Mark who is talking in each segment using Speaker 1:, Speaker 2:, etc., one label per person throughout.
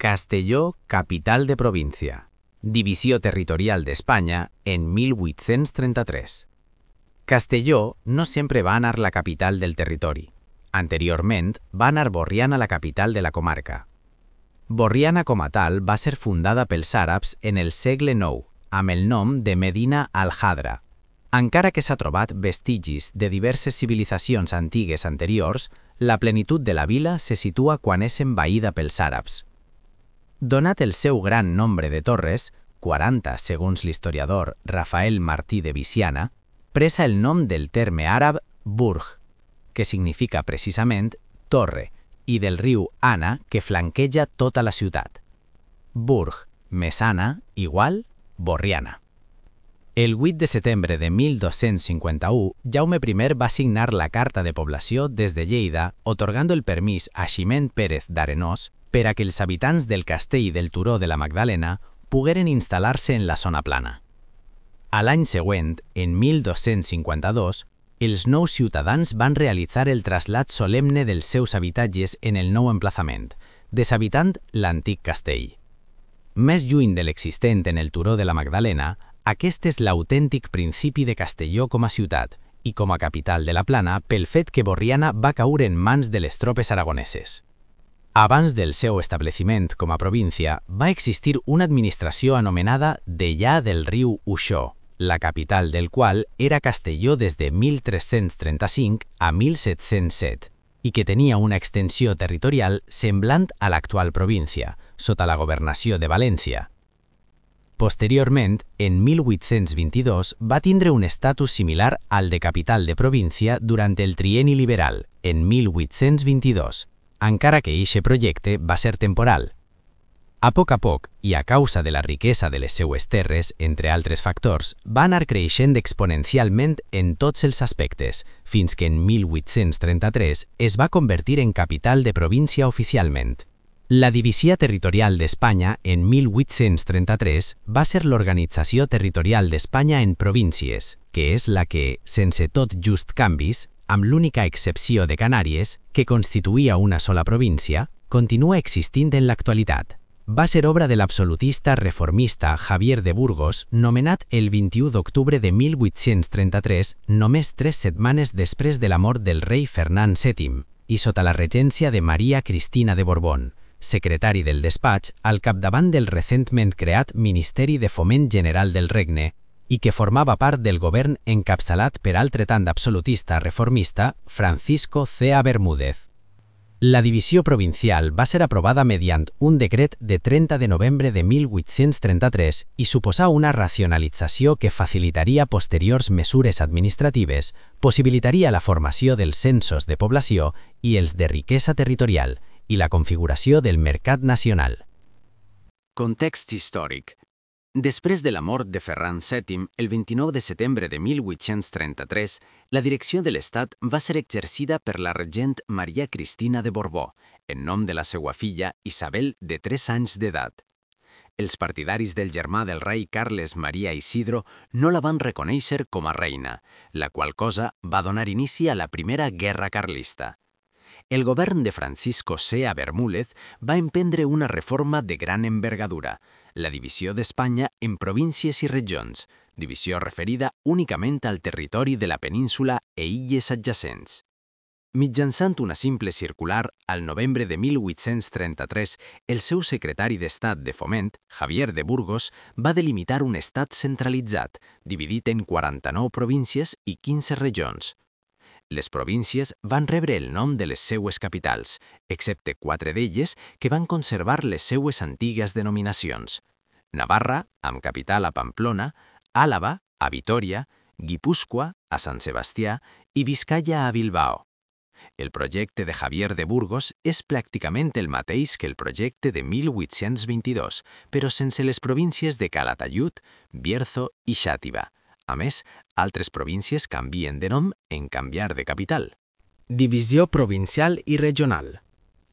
Speaker 1: Castelló, capital de província. Divisió territorial d'Espanya en 1833. Castelló no sempre va anar la capital del territori. Anteriorment va anar Borriana la capital de la comarca. Borriana com a tal va ser fundada pels àrabs en el segle IX, amb el nom de Medina al-Hadra. Encara que s'ha trobat vestigis de diverses civilitzacions antigues anteriors, la plenitud de la vila se situa quan és envaïda pels àrabs. Donat el seu gran nombre de torres, 40 segons l'historiador Rafael Martí de Viciana, presa el nom del terme àrab burj, que significa precisament torre, i del riu Ana, que flanqueja tota la ciutat. Burj més Ana igual Borriana. El 8 de setembre de 1251, Jaume I va signar la Carta de Població des de Lleida, atorgando el permís a Ximent Pérez d'Arenós per a que els habitants del castell del Turó de la Magdalena pogueren instal·lar-se en la zona plana. A l'any següent, en 1252, els nous ciutadans van realitzar el trasllat solemne dels seus habitatges en el nou emplaçament, deshabitant l'antic castell. Més lluny de l'existent en el Turó de la Magdalena, aquest és l'autèntic principi de Castelló com a ciutat i com a capital de la plana pel fet que Borriana va caure en mans de les tropes aragoneses. Abans del seu establiment com a província, va existir una administració anomenada Dellà del riu Uixó, la capital del qual era Castelló des de 1335 a 1707, i que tenia una extensió territorial semblant a l'actual província, sota la governació de València. Posteriorment, en 1822, va tindre un estatus similar al de capital de província durant el trienni liberal, en 1822, encara que eixe projecte va ser temporal. A poc, i a causa de la riquesa de les seues terres, entre altres factors, va anar creixent exponencialment en tots els aspectes, fins que en 1833 es va convertir en capital de província oficialment. La Divisió Territorial d'Espanya en 1833 va ser l'Organització Territorial d'Espanya en províncies, que és la que, sense tot just canvis, amb l'única excepció de Canàries, que constituïa una sola província, continua existint en l'actualitat. Va ser obra de l'absolutista reformista Javier de Burgos, nomenat el 21 d'octubre de 1833, només 3 setmanes després de la mort del rei Fernand VII, i sota la regència de Maria Cristina de Borbón, secretari del despatx al capdavant del recentment creat Ministeri de Foment General del Regne i que formava part del govern encapçalat per altre tant absolutista reformista Francisco Cea Bermúdez. La divisió provincial va ser aprovada mediant un decret de 30 de novembre de 1833 i suposà una racionalització que facilitaria posteriors mesures administratives, possibilitaria la formació dels censos de població i els de riquesa territorial, i la configuració del mercat nacional.
Speaker 2: Context històric. Després de la mort de Ferran VII, el 29 de setembre de 1833, la direcció de l'Estat va ser exercida per la regent Maria Cristina de Borbó, en nom de la seva filla Isabel, de 3 anys d'edat. Els partidaris del germà del rei Carles Maria Isidro no la van reconèixer com a reina, la qual cosa va donar inici a la Primera Guerra Carlista. El govern de Francisco Cea Bermúdez va emprendre una reforma de gran envergadura, la divisió d'Espanya en províncies i regions, divisió referida únicament al territori de la península i illes adjacents. Mitjançant una simple circular, al novembre de 1833, el seu secretari d'Estat de Foment, Javier de Burgos, va delimitar un estat centralitzat, dividit en 49 províncies i 15 regions. Les províncies van rebre el nom de les seues capitals, excepte 4 d'elles que van conservar les seues antigues denominacions. Navarra, amb capital a Pamplona, Àlava, a Vitòria, Guipúscoa, a Sant Sebastià i Vizcaya a Bilbao. El projecte de Javier de Burgos és pràcticament el mateix que el projecte de 1822, però sense les províncies de Calatayud, Bierzo i Xàtiva. A més, altres províncies canvien de nom en canviar de capital.
Speaker 3: Divisió provincial i regional.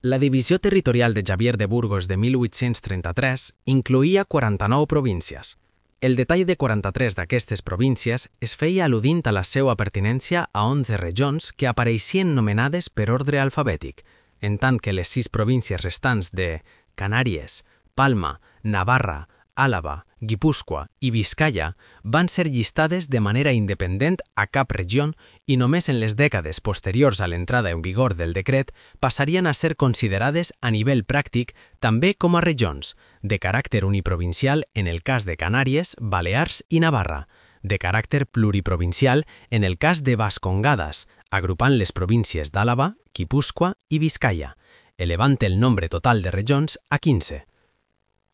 Speaker 3: La divisió territorial de Javier de Burgos de 1833 incloïa 49 províncies. El detall de 43 d'aquestes províncies es feia al·ludint a la seva pertinència a 11 regions que apareixien nomenades per ordre alfabètic, en tant que les 6 províncies restants de Canàries, Palma, Navarra, Àlaba, Guipúscoa i Biscaia van ser llistades de manera independent a cap regió i només en les dècades posteriors a l'entrada en vigor del decret passarien a ser considerades a nivell pràctic també com a regions, de caràcter uniprovincial en el cas de Canàries, Balears i Navarra, de caràcter pluriprovincial en el cas de Bascongades, agrupant les províncies d'Àlaba, Guipúscoa i Biscaia, elevant el nombre total de regions a 15.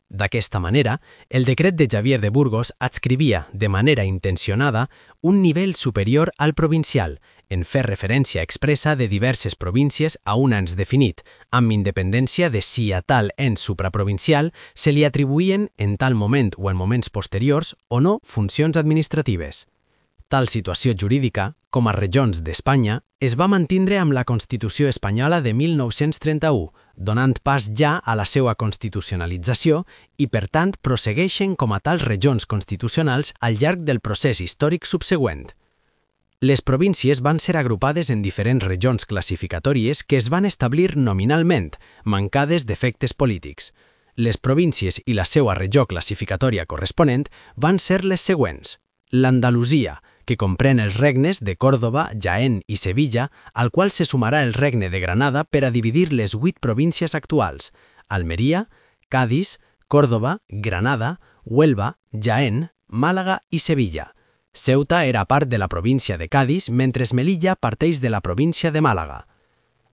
Speaker 3: D'aquesta manera, el decret de Xavier de Burgos adscrivia, de manera intencionada, un nivell superior al provincial, en fer referència expressa de diverses províncies a un ens definit, amb independència de si a tal ens supraprovincial se li atribuïen en tal moment o en moments posteriors o no funcions administratives. Tal situació jurídica, com a regions d'Espanya, es va mantindre amb la Constitució espanyola de 1931, donant pas ja a la seva constitucionalització i, per tant, prossegueixen com a tals regions constitucionals al llarg del procés històric subsegüent. Les províncies van ser agrupades en diferents regions classificatòries que es van establir nominalment, mancades d'efectes polítics. Les províncies i la seva regió classificatòria corresponent van ser les següents. L'Andalusia, que comprèn els regnes de Còrdova, Jaén i Sevilla, al qual se sumarà el regne de Granada per a dividir les 8 províncies actuals: Almeria, Cadis, Còrdova, Granada, Huelva, Jaén, Màlaga i Sevilla. Ceuta era part de la província de Cadis, mentre Melilla parteix de la província de Màlaga.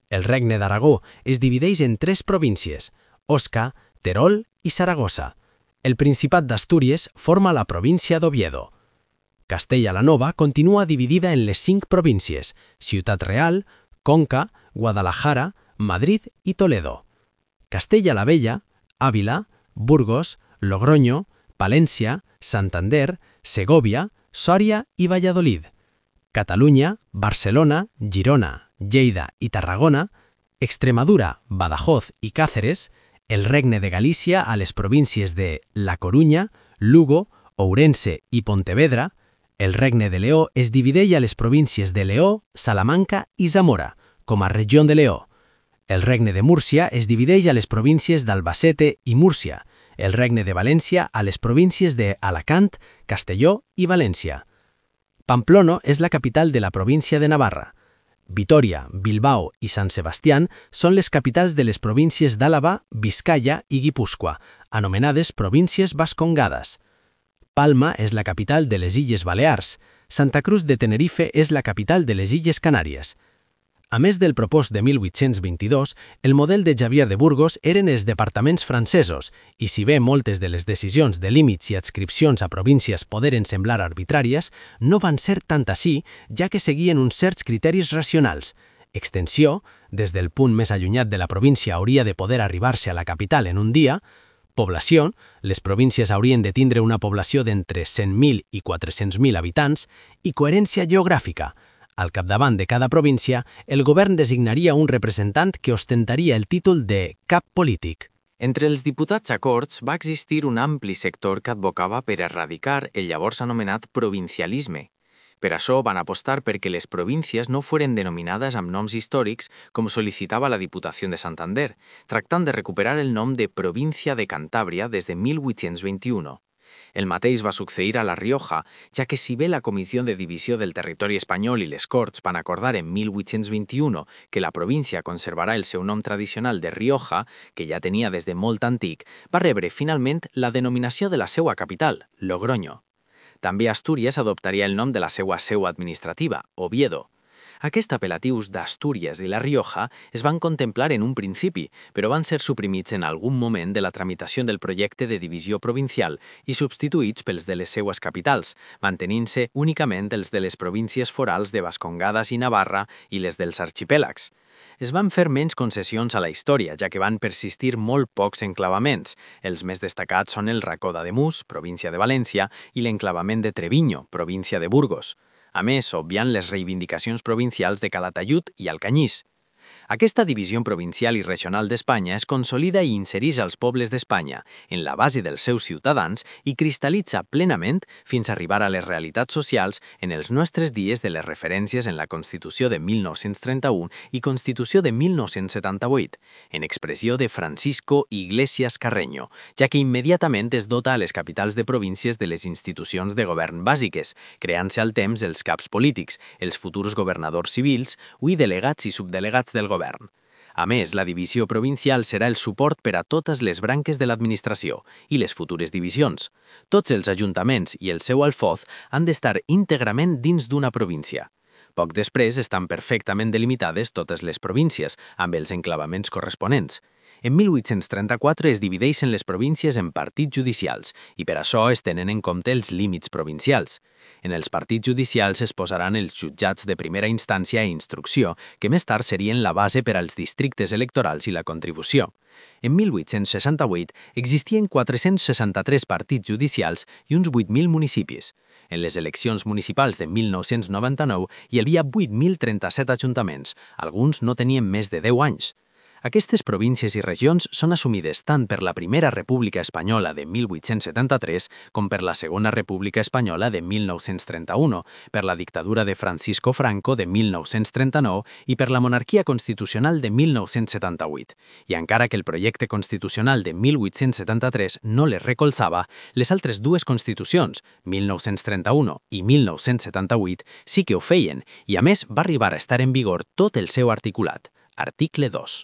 Speaker 3: El regne d'Aragó es divideix en 3 províncies: Osca, Terol i Saragossa. El Principat d'Astúries forma la província d'Oviedo. Castella la Nova continua dividida en les 5 províncies: Ciutat Real, Conca, Guadalajara, Madrid i Toledo. Castella la Vella, Àvila, Burgos, Logroño, Palència, Santander, Segòvia, Sòria i Valladolid. Catalunya, Barcelona, Girona, Lleida i Tarragona, Extremadura, Badajoz i Càceres, el Regne de Galícia a les províncies de La Corunya, Lugo, Ourense i Pontevedra. El Regne de Leó es divideix a les províncies de Leó, Salamanca i Zamora, com a regió de Leó. El Regne de Múrcia es divideix a les províncies d'Albacete i Múrcia, el Regne de València a les províncies de Alacant, Castelló i València. Pamplona és la capital de la província de Navarra. Vitòria, Bilbao i Sant Sebastián són les capitals de les províncies d'Àlaba, Biscaia i Guipúscoa, anomenades províncies bascongades. Palma és la capital de les Illes Balears. Santa Cruz de Tenerife és la capital de les Illes Canàries. A més del propòs de 1822, el model de Xavier de Burgos eren els departaments francesos, i si bé moltes de les decisions de límits i adscripcions a províncies poderen semblar arbitràries, no van ser tant així, ja que seguien uns certs criteris racionals. Extensió, des del punt més allunyat de la província hauria de poder arribar-se a la capital en un dia. Població, les províncies haurien de tindre una població d'entre 100.000 i 400.000 habitants, i coherència geogràfica. Al capdavant de cada província, el govern designaria un representant que ostentaria el títol de cap polític.
Speaker 2: Entre els diputats a Corts va existir un ampli sector que advocava per erradicar el llavors anomenat provincialisme. Per això van apostar perquè les províncies no foren denominades amb noms històrics com sol·licitava la Diputació de Santander, tractant de recuperar el nom de Província de Cantàbria des de 1821. El mateix va succeir a La Rioja, ja que si bé la Comissió de Divisió del Territori Espanyol i les Corts van acordar en 1821 que la província conservarà el seu nom tradicional de Rioja, que ja tenia des de molt antic, va rebre finalment la denominació de la seva capital, Logroño. També Astúries adoptaria el nom de la seva seu administrativa, Oviedo. Aquests apel·latius d'Astúries i La Rioja es van contemplar en un principi, però van ser suprimits en algun moment de la tramitació del projecte de divisió provincial i substituïts pels de les seues capitals, mantenint-se únicament els de les províncies forals de Bascongades i Navarra i les dels arxipèlags. Es van fer menys concessions a la història, ja que van persistir molt pocs enclavaments. Els més destacats són el Racó d'Ademús, província de València, i l'enclavament de Treviño, província de Burgos. A més, obviant les reivindicacions provincials de Calatayud i Alcanyís.
Speaker 1: Aquesta divisió provincial i regional d'Espanya es consolida i insereix als pobles d'Espanya en la base dels seus ciutadans i cristal·litza plenament fins a arribar a les realitats socials en els nostres dies de les referències en la Constitució de 1931 i Constitució de 1978, en expressió de Francisco Iglesias Carreño, ja que immediatament es dota a les capitals de províncies de les institucions de govern bàsiques, creant-se al temps els caps polítics, els futurs governadors civils i delegats i subdelegats del govern. A més, la divisió provincial serà el suport per a totes les branques de l'administració i les futures divisions. Tots els ajuntaments i el seu alfoz han d'estar íntegrament dins d'una província. Poc després estan perfectament delimitades totes les províncies, amb els enclavaments corresponents. En 1834 es divideixen les províncies en partits judicials i per això es tenen en compte els límits provincials. En els partits judicials es posaran els jutjats de primera instància i instrucció, que més tard serien la base per als districtes electorals i la contribució. En 1868 existien 463 partits judicials i uns 8.000 municipis. En les eleccions municipals de 1999 hi havia 8.037 ajuntaments, alguns no tenien més de 10 anys. Aquestes províncies i regions són assumides tant per la Primera República Espanyola de 1873 com per la Segona República Espanyola de 1931, per la dictadura de Francisco Franco de 1939 i per la monarquia constitucional de 1978. I encara que el projecte constitucional de 1873 no les recolzava, les altres dues constitucions, 1931 i 1978, sí que ho feien i a més va arribar a estar en vigor tot el seu articulat. Article 2.